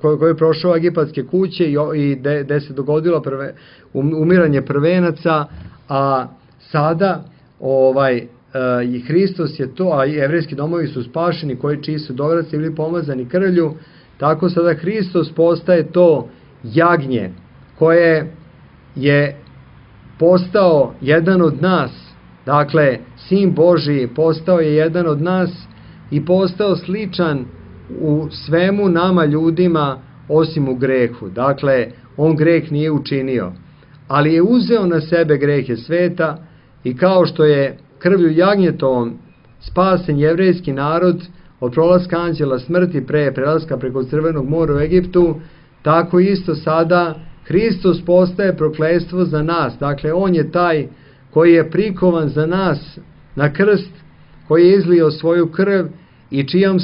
koji je prošao egipatske kuće i gde se dogodilo umiranje prvenaca, a sada i Hristos je to, a jevrejski domovi su spašeni čiji su dovraci bili pomazani krvlju, tako sada Hristos postaje to jagnje koje je postao jedan od nas. Dakle, Sin Božji postao je jedan od nas i postao sličan u svemu nama ljudima osim u grehu. Dakle, on greh nije učinio, ali je uzeo na sebe grehe sveta i kao što je krvlju jagnjetovom spasen jevrejski narod od prolaska anđela smrti pre prelaska preko Crvenog mora u Egiptu, tako isto sada Hristos postaje prokletstvo za nas. Dakle, on je taj koji je prikovan za nas na krst, koji je izlio svoju krv i čijim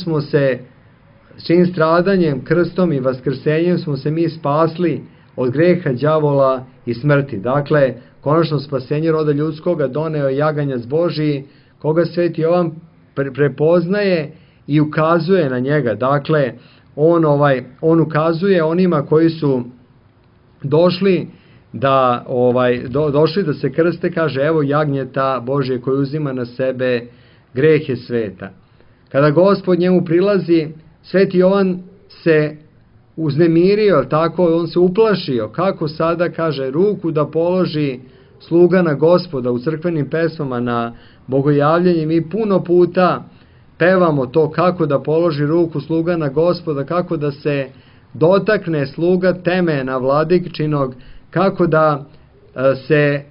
stradanjem, krstom i vaskrsenjem smo se mi spasli od greha, đavola i smrti. Dakle, konačno spasenje roda ljudskoga doneo je jaganjac Božiji, koga Sveti Jovan prepoznaje i ukazuje na njega. Dakle, on ukazuje onima koji su došli da se krste, kaže, evo jagnjeta Božje koji uzima na sebe grehe sveta. Kada Gospod njemu prilazi, Sveti Jovan se uznemirio, tako on se uplašio, kako sada, kaže, ruku da položi sluga na Gospoda u crkvenim pesmama na bogojavljenje. Mi puno puta pevamo to kako da položi ruku sluga na Gospoda, kako da se dotakne sluga temena vladikčinog, kako da se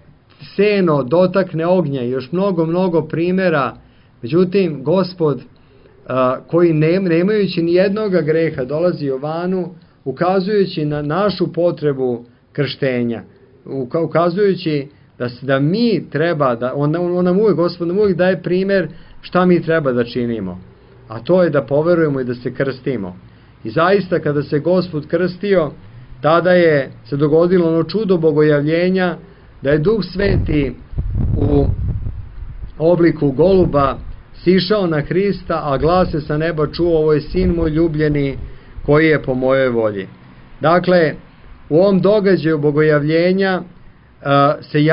seno dotakne ognja i još mnogo primjera. Međutim, Gospod, koji nemajući ni jednoga greha dolazi Jovanu, ukazujući na našu potrebu krštenja, ukazujući da mi treba, Gospod nam uvijek daje primjer šta mi treba da činimo, a to je da poverujemo i da se krstimo. I zaista kada se Gospod krstio, tada je se dogodilo ono čudo bogojavljenja, da je Duh Sveti u obliku goluba sišao na Hrista, a glas se sa neba čuo: ovo je sin moj ljubljeni, koji je po mojoj volji. Dakle, u ovom događaju bogojavljenja se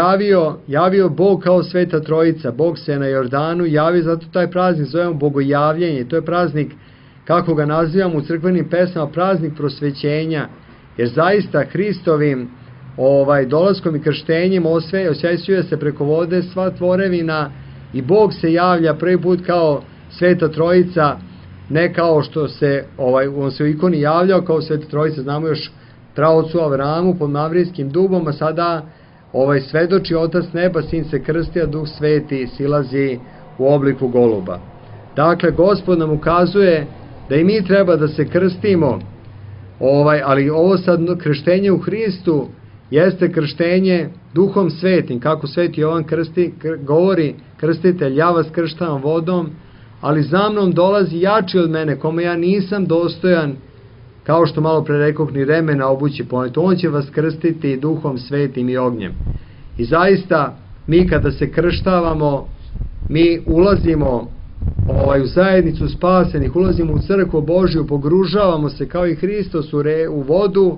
javio Bog kao Sveta Trojica. Bog se na Jordanu javio, zato taj praznik zovemo bogojavljenje. To je praznik, kako ga nazivamo u crkvenim pesmama, praznik prosvećenja, jer zaista Hristovim dolaskom i krštenjem osvećuje se preko vode sva tvorevina i Bog se javlja prvi put kao Sveta Trojica, ne kao što se on se u ikoni javljao kao Sveta Trojica, znamo još praocu Avramu pod Mavrijskim dubom, a sada svedoči Otac neba, Sin se krsti, a Duh Sveti silazi u obliku goluba. Dakle, Gospod nam ukazuje da i mi treba da se krstimo, ali ovo sad krštenje u Hristu jeste krštenje Duhom Svetim, kako Sveti Jovan govori: krstitelj, ja vas krštavam vodom, ali za mnom dolazi jači od mene, kome ja nisam dostojan, kao što malo pre rekoh, ni remena obući poneti. On će vas krstiti Duhom Svetim i ognjem. I zaista, mi kada se krštavamo, mi ulazimo u zajednicu spasenih, ulazimo u crkvu Božju, pogružavamo se kao i Hristos u vodu,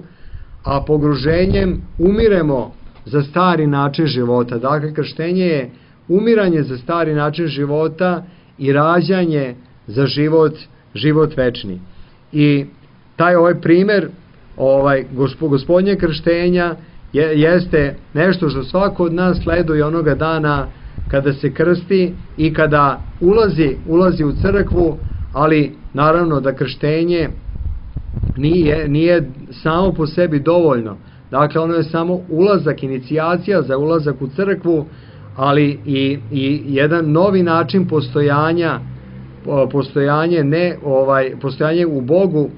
a pogruženjem umiremo za stari način života. Dakle, krštenje je umiranje za stari način života i rađanje za život večni. I taj primjer Gospodnje krštenja jeste nešto što svako od nas sleduje onoga dana kada se krsti i kada ulazi u crkvu, ali naravno da krštenje nije samo po sebi dovoljno. Dakle, ono je samo ulazak, inicijacija za ulazak u crkvu, ali i jedan novi način postojanje u Bogu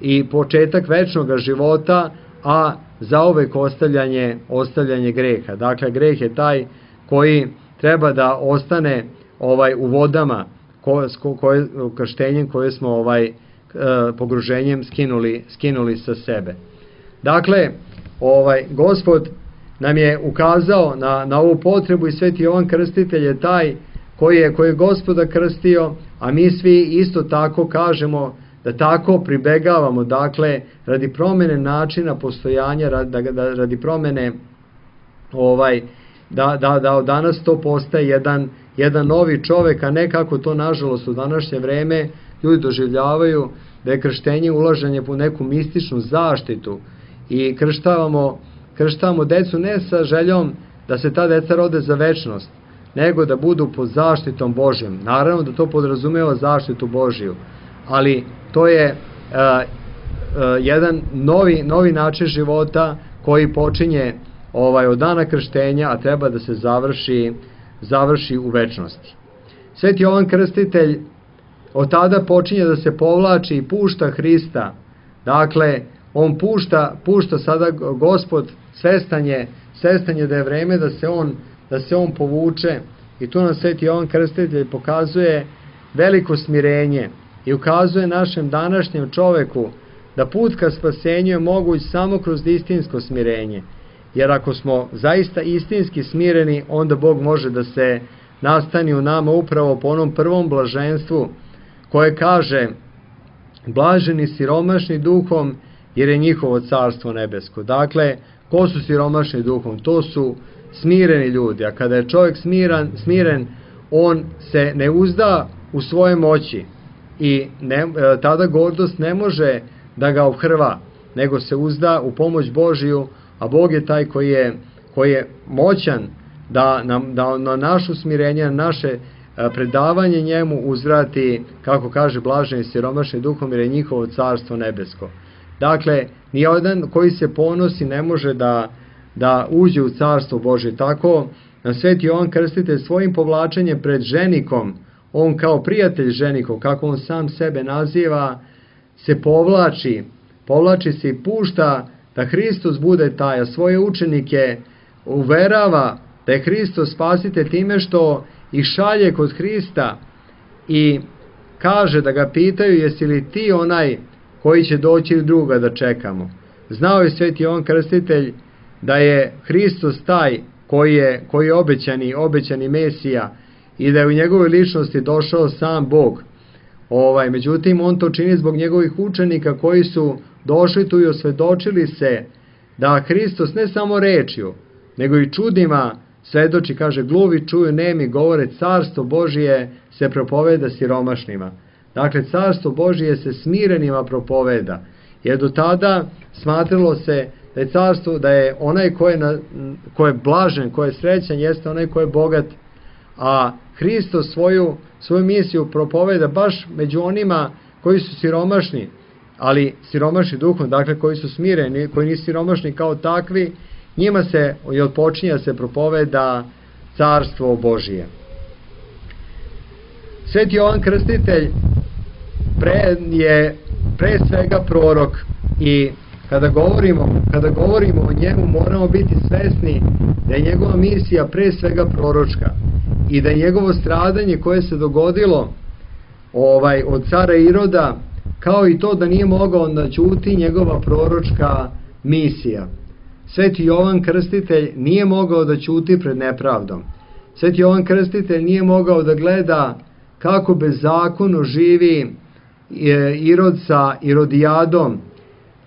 i početak večnog života, a zauvek ostavljanje greha. Dakle, greh je taj koji treba da ostane u vodama krštenjem koje smo pogruženjem skinuli sa sebe. Dakle, Gospod nam je ukazao na ovu potrebu i Sveti Jovan Krstitelj je taj koji je Gospoda krstio, a mi svi isto tako kažemo da tako pribegavamo, dakle, radi promene načina postojanja, radi promene da od danas to postaje jedan novi čovek, a ne kako to nažalost u današnje vreme ljudi doživljavaju, da je krštenje ulaženje po neku mističnu zaštitu i krštavamo decu ne sa željom da se ta deca rode za večnost, nego da budu pod zaštitom Božjom. Naravno da to podrazumeva zaštitu Božju, ali to je jedan novi način života koji počinje od dana krštenja, a treba da se završi u večnosti. Sveti Jovan Krstitelj od tada počinje da se povlači i pušta Hrista. Dakle, on pušta sada Gospod, svestan je da je vreme da se on povuče, i tu nam Sveti Jovan Krstitelj pokazuje veliko smirenje i ukazuje našem današnjem čoveku da put ka spasenju je moguć samo kroz istinsko smirenje. Jer ako smo zaista istinski smireni, onda Bog može da se nastani u nama upravo po onom prvom blaženstvu koje kaže: blaženi siromašni duhom, jer je njihovo carstvo nebesko. Dakle, ko su siromašni duhom? To su smireni ljudi, a kada je čovjek smiren, on se ne uzda u svoje moći i tada gordost ne može da ga obhrva. nego se uzda u pomoć Božiju, a Bog je taj koji je moćan da na našu smirenje, na naše predavanje njemu uzvrati, kako kaže blaženi siromašni duhom, jer je njihovo carstvo nebesko. Dakle, nijedan koji se ponosi ne može da uđe u carstvo Božje. Tako, na Sveti Jovan Krstitelj svojim povlačenjem pred ženikom, on kao prijatelj ženikov, kako on sam sebe naziva, se povlači se i pušta da Hristos bude taj, a svoje učenike uverava da je Hristos spasitelj time što ih šalje kod Hrista i kaže da ga pitaju jesi li ti onaj koji će doći ili druga da čekamo. Znao je Sveti Jovan Krstitelj da je Hristos taj koji je obećani Mesija i da je u njegovoj ličnosti došao sam Bog. Međutim, on to čini zbog njegovih učenika koji su došli tu i osvedočili se da Hristos ne samo rečju, nego i čudima svedoči, kaže, gluvi čuju, nemi govore, carstvo Božije se propoveda siromašnima. Dakle, carstvo Božije se smirenima propoveda, jer do tada smatralo se da je carstvo, da je onaj ko je blažen, ko je srećan, jeste onaj ko je bogat, a Hristos svoju misiju propoveda baš među onima koji su siromašni, ali siromašni duhom, dakle koji su smireni, koji nisu siromašni kao takvi, njima se i odpočinja se propoveda carstvo Božije. Sveti Jovan Krstitelj je pre svega prorok i kada govorimo o njemu moramo biti svesni da je njegova misija pre svega proročka i da je njegovo stradanje koje se dogodilo od cara Iroda, kao i to da nije mogao da ćuti njegova proročka misija. Sveti Jovan Krstitelj nije mogao da ćuti pred nepravdom. Sveti Jovan Krstitelj nije mogao da gleda kako bezakonno živi Irod sa Irodijadom.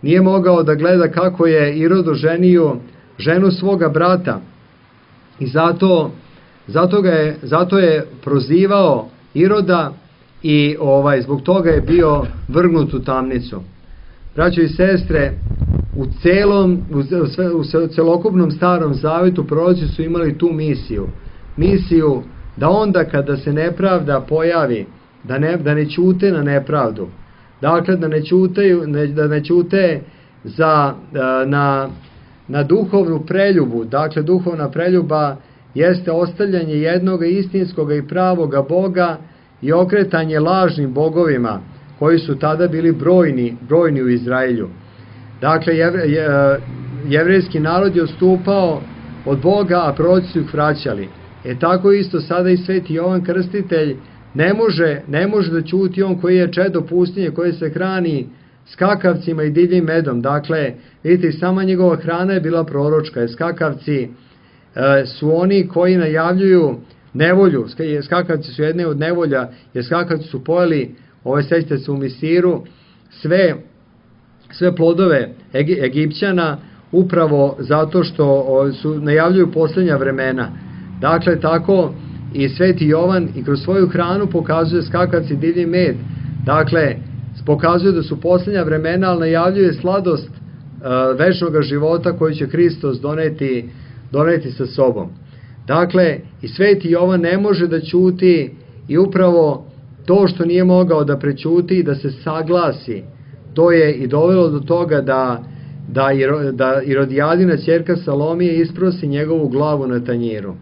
Nije mogao da gleda kako je Irod oženio ženu svoga brata. I zato je prozivao Iroda i zbog toga je bio vrgnut u tamnicu. Braćo i sestre, u celokupnom Starom Zavetu proroci su imali tu misiju da onda kada se nepravda pojavi, da ne ćute na nepravdu, dakle da ne ćute na duhovnu preljubu. Dakle, duhovna preljuba jeste ostavljanje jednoga istinskoga i pravoga Boga i okretanje lažnim bogovima koji su tada bili brojni u Izraelju. Dakle, jevrejski narod je odstupao od Boga, a proroci su ih vraćali. Tako isto sada i Sveti Jovan Krstitelj ne može da ćuti on koji je čedo pustinje, koji se hrani skakavcima i divljim medom. Dakle, vidite, i sama njegova hrana je bila proročka, jer skakavci su oni koji najavljuju nevolju. Skakavci su jedne od nevolja, jer skakavci su pojeli, sećate se u Misiru, sve plodove Egipćana, upravo zato što najavljuju posljednja vremena. Dakle, tako i Sveti Jovan i kroz svoju hranu pokazuje skakavci divlji med. Dakle, pokazuje da su posljednja vremena, ali najavljuje sladost večnog života koji će Hristos doneti sa sobom. Dakle, i Sveti Jovan ne može da ćuti i upravo to što nije mogao da prećuti i da se saglasi, to je i dovelo do toga da Irodijadina ćerka Salomije isprosi njegovu glavu na tanjiru.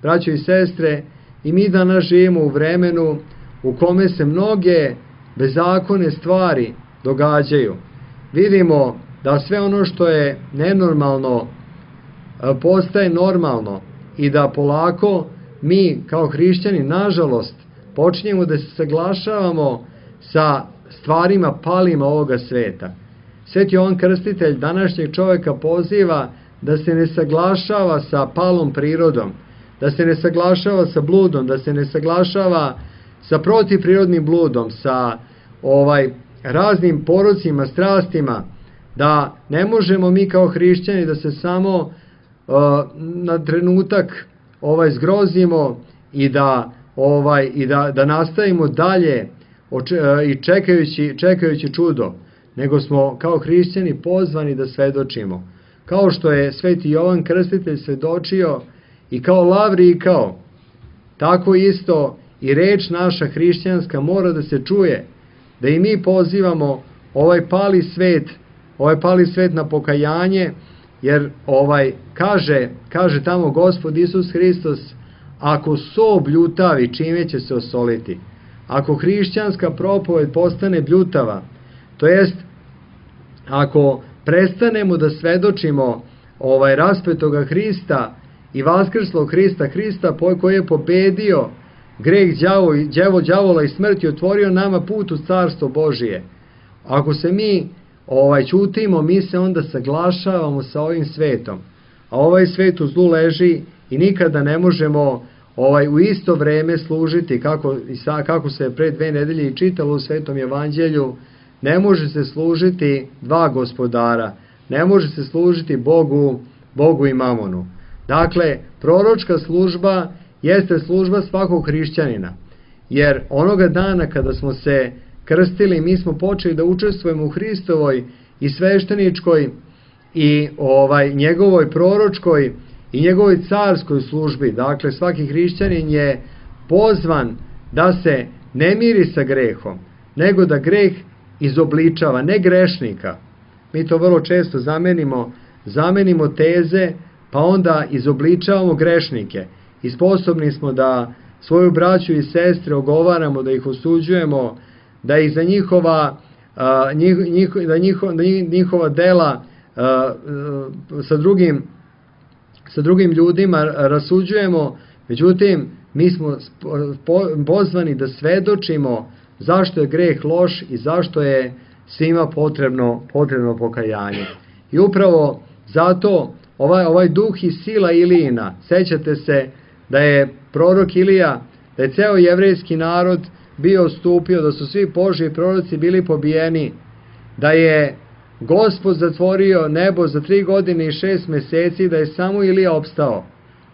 Braćo i sestre, i mi danas živimo u vremenu u kome se mnoge bezzakonne stvari događaju. Vidimo da sve ono što je nenormalno postaje normalno i da polako mi kao hrišćani, nažalost, počinjemo da se saglašavamo sa stvarima palima ovoga sveta. Sveti Jovan Krstitelj današnjeg čovjeka poziva da se ne saglašava sa palom prirodom, da se ne saglašava sa bludom, da se ne saglašava sa protivprirodnim bludom, sa raznim porocima, strastima, da ne možemo mi kao hrišćani da se samo na trenutak zgrozimo i da nastavimo dalje i čekajući čudo. nego smo kao hrišćani pozvani da svedočimo. Kao što je sveti Jovan Krstitelj svedočio i kao lav rikao, tako isto i reč naša hrišćanska mora da se čuje, da i mi pozivamo ovaj pali svet na pokajanje, jer kaže tamo Gospod Isus Hristos, ako so bljutavi, čime će se osoliti? Ako hrišćanska propoved postane bljutava, to jest ako prestanemo da svedočimo raspetoga Hrista i vaskrslog Hrista koji je pobedio greh, đavola i smrt i otvorio nama put u carstvo Božije. Ako se mi ćutimo, mi se onda saglašavamo sa ovim svetom. A ovaj svet u zlu leži i nikada ne možemo u isto vreme služiti, kako se pre 2 nedelje i čitalo u Svetom evanđelju, ne može se služiti dva gospodara, ne može se služiti Bogu i mamonu. Dakle, proročka služba jeste služba svakog hrišćanina, jer onoga dana kada smo se krstili, mi smo počeli da učestvujemo u Hristovoj i svešteničkoj i njegovoj proročkoj i njegovoj carskoj službi. Dakle, svaki hrišćanin je pozvan da se ne miri sa grehom, nego da greh izobličava, ne grešnika. Mi to vrlo često zamenimo teze, pa onda izobličavamo grešnike. I sposobni smo da svoju braću i sestre ogovaramo, da ih osuđujemo, da ih za njihova dela sa drugim ljudima rasuđujemo. Međutim, mi smo pozvani da svedočimo zašto je greh loš i zašto je svima potrebno pokajanje. I upravo zato ovaj duh i sila Ilijina, sećate se da je prorok Ilija, da je ceo jevrejski narod bio stupio, da su svi Božji proroci bili pobijeni, da je Gospod zatvorio nebo za 3 godine i 6 meseci, da je samo Ilija opstao.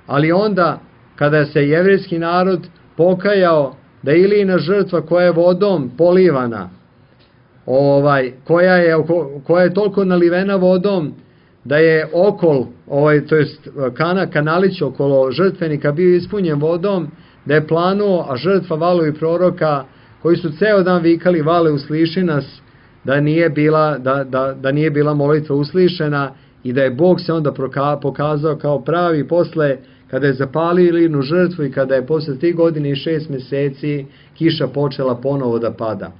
Ali onda, kada se jevrejski narod pokajao da je Ilijina žrtva koja je vodom polivana, koja je toliko nalivena vodom, da je okol, to jest kanalić okolo žrtvenika bio ispunjen vodom, da je planuo, a žrtva valovi proroka, koji su ceo dan vikali vale usliši nas, da nije bila molitva uslišena i da je Bog se onda pokazao kao pravi posle, kada je zapalio Ilijinu žrtvu i kada je posle 3 godine i 6 meseci kiša počela ponovo da pada.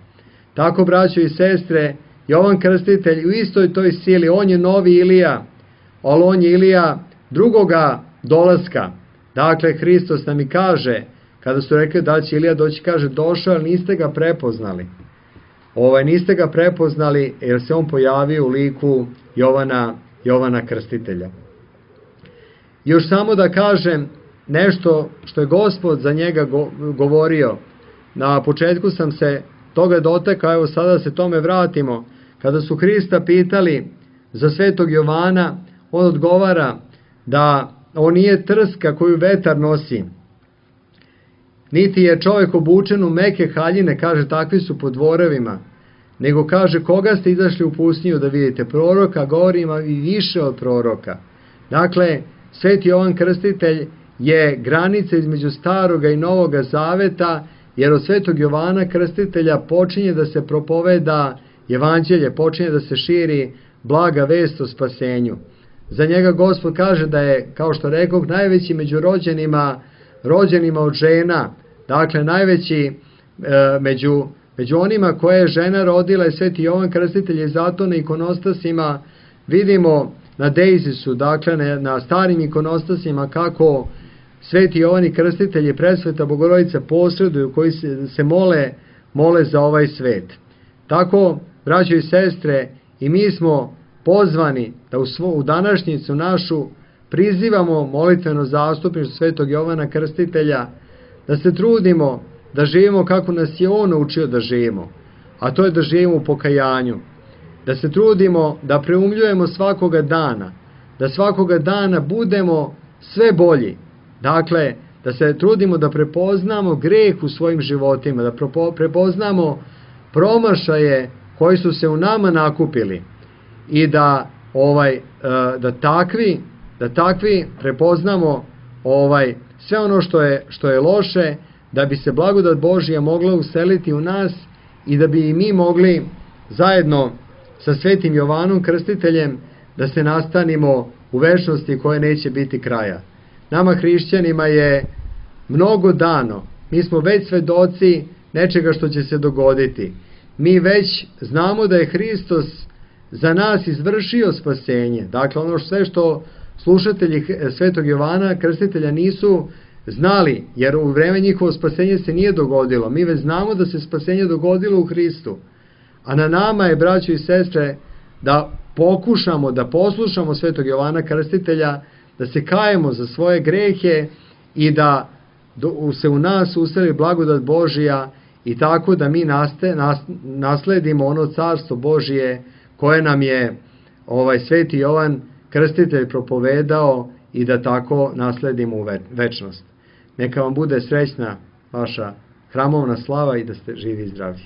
Tako, braćo i sestre, Jovan Krstitelj u istoj toj sili, on je novi Ilija, ali on je Ilija drugoga dolaska. Dakle, Hristos nam i kaže, kada su rekli da će Ilija doći, kaže, došao, ali niste ga prepoznali. Niste ga prepoznali jer se on pojavio u liku Jovana Krstitelja. Još samo da kažem nešto što je Gospod za njega govorio. Na početku sam se toga dotakao, evo sada se tome vratimo. Kada su Hrista pitali za svetog Jovana, on odgovara da on nije trska koju vetar nosi, niti je čovjek obučen u meke haljine, kaže, takvi su po dvorevima, nego kaže, koga ste izašli u pustinju da vidite? Proroka, govorim i više od proroka. Dakle, sveti Jovan Krstitelj je granica između staroga i novoga zaveta, jer od svetog Jovana Krstitelja počinje da se propoveda evanđelje, počinje da se širi blaga vest o spasenju. Za njega Gospod kaže da je, kao što rekao, najveći među rođenima od žena. Dakle, najveći među onima koje je žena rodila je sveti Jovan Krstitelj, i zato na ikonostasima vidimo na Dejzisu, dakle na starim ikonostasima, kako sveti Jovan i Krstitelj i presveta Bogorodica posreduju, koji se mole za ovaj svet. Tako, braćo i sestre, i mi smo pozvani da u današnjicu našu prizivamo molitveno zastupništvo svetog Jovana Krstitelja, da se trudimo da živimo kako nas je on učio da živimo, a to je da živimo u pokajanju, da se trudimo da preumljujemo svakoga dana, da svakoga dana budemo sve bolji. Dakle, da se trudimo da prepoznamo greh u svojim životima, da prepoznamo promašaje koji su se u nama nakupili i da takvi prepoznamo sve ono što je loše, da bi se blagodat Božja mogla useliti u nas i da bi i mi mogli zajedno sa Svetim Jovanom Krstiteljem da se nastanimo u večnosti koje neće biti kraja. Nama hrišćanima je mnogo dano, mi smo već svedoci nečega što će se dogoditi. Mi već znamo da je Hristos za nas izvršio spasenje. Dakle, ono sve što slušatelji Svetog Jovana Krstitelja nisu znali, jer u vreme njihovo spasenje se nije dogodilo. Mi već znamo da se spasenje dogodilo u Hristu. A na nama je, braćo i sestre, da pokušamo da poslušamo Svetog Jovana Krstitelja, da se kajemo za svoje grehe i da se u nas useli blagodat Božija i tako da mi nasledimo ono carstvo Božije koje nam je Sveti Jovan Krstitelj propovedao i da tako nasledimo u večnost. Neka vam bude srećna vaša hramovna slava i da ste živi i zdravi.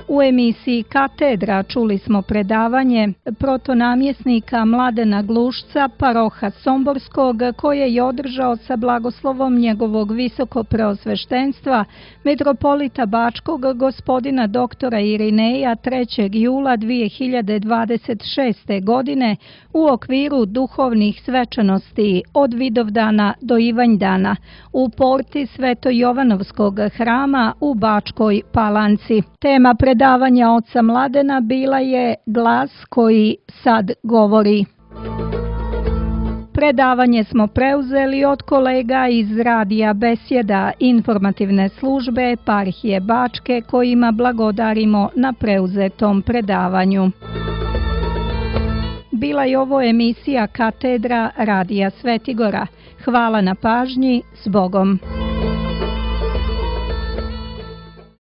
U emisiji Katedra čuli smo predavanje protonamjesnika Mladena Glušca, paroha Somborskog, koje je održao sa blagoslovom njegovog visokopreosveštenstva, metropolita Bačkog gospodina doktora Irineja 3. jula 2026. godine u okviru duhovnih svečanosti od Vidovdana do Ivanjdana u porti Sveto-Jovanovskog hrama u Bačkoj Palanci. Tema predavanja oca Mladena bila je Glas koji sad govori. Predavanje smo preuzeli od kolega iz Radija Besjeda informativne službe eparhije Bačke kojima blagodarimo na preuzetom predavanju. Bila je ovo emisija Katedra Radija Svetigora. Hvala na pažnji, s Bogom.